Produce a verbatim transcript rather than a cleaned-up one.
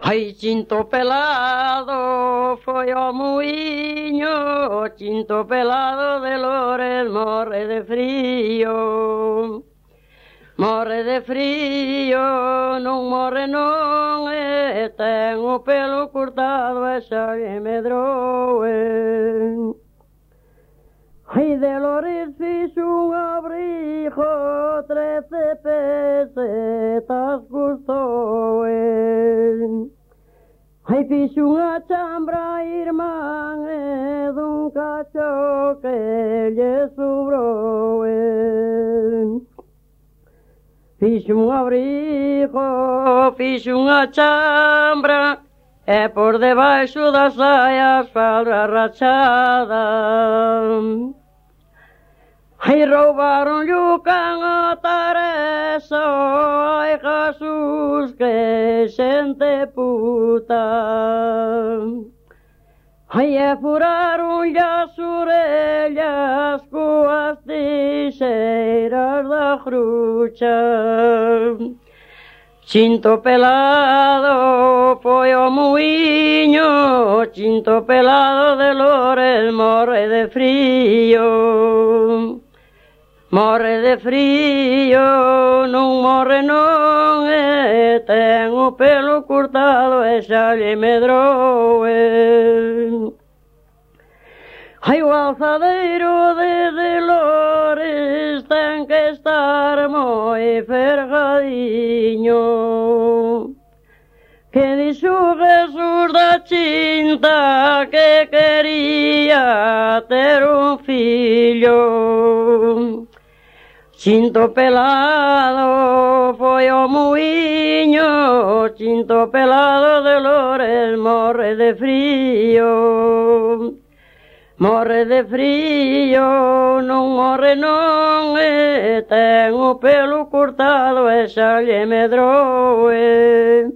Ai, Chinto pelado foi ao muiño, o Chinto pelado de Lores morre de frío. Morre de frío, non morre non, e ten o pelo cortado e xa lle medroe. Ai, de Lores fixo un abrigo, trece pesetas custou. Ai, fixo unha chambra, irmán, e dun cacho que lle sobrou. Fixo un abrigo, fixo unha chambra, e por debaixo das saias falda rachada. Ai, roubaron o can a Teresa, ai, Jesús, que xente puta. Ai, e furaron as orellas coas tixeiras da crucha. Chinto pelado foi ao muiño, Chinto pelado de Lores morre de frío. Morre de frío, non morre non, e ten o pelo cortado e xa lle medroe. Ai, o alzadeiro de, de Lores ten que estar moi fergadiño, que dixo Jesús da Chinta que quería ter un fillo. Chinto pelado foi ao muiño, Chinto pelado de Lores morre de frío. Morre de frío, non morre non, e ten o pelo cortado e xa lle medroe.